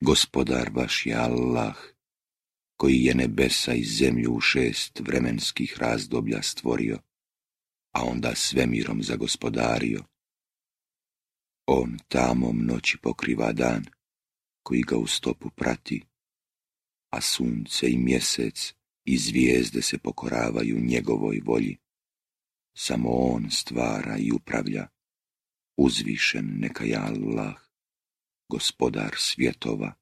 Gospodar vaš je Allah, koji je nebesa i zemlju u 6 vremenskih razdoblja stvorio, a onda svemirom zagospodario. On tamom noći pokriva dan, koji ga u stopu prati, a sunce i mjesec i zvijezde se pokoravaju njegovoj volji. Samo on stvara i upravlja, uzvišen neka je Allah, gospodar svjetova.